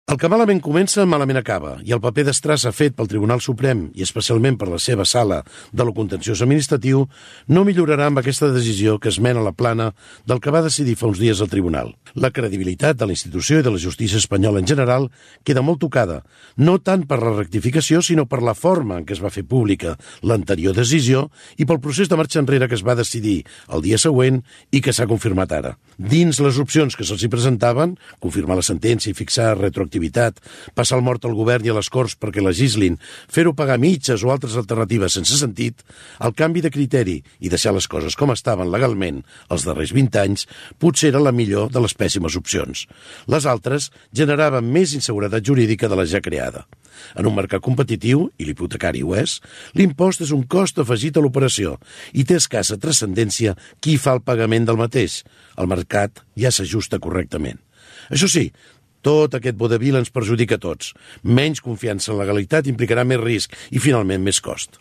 El que malament comença, malament acaba, i el paper d'estrassa fet pel Tribunal Suprem, i especialment per la seva sala de lo contenciós administratiu, no millorarà amb aquesta decisió que es mena a la plana del que va decidir fa uns dies el Tribunal. La credibilitat de la institució i de la justícia espanyola en general queda molt tocada, no tant per la rectificació, sinó per la forma en què es va fer pública l'anterior decisió i pel procés de marxa enrere que es va decidir el dia següent i que s'ha confirmat ara. Dins les opcions que se'ls hi presentaven, confirmar la sentència i fixar retroactivitat, passar el mort al govern i a les Corts perquè legislin, fer-ho pagar mitges o altres alternatives sense sentit, el canvi de criteri i deixar les coses com estaven legalment els darrers 20 anys potser era la millor de les pèssimes opcions. Les altres generaven més inseguretat jurídica de la ja creada. En un mercat competitiu, i l'hipotecari ho és, l'impost és un cost afegit a l'operació i té escassa transcendència qui fa el pagament del mateix. El mercat ja s'ajusta correctament. Això sí, tot aquest vodevil ens perjudica a tots. Menys confiança en la legalitat implicarà més risc i, finalment, més cost.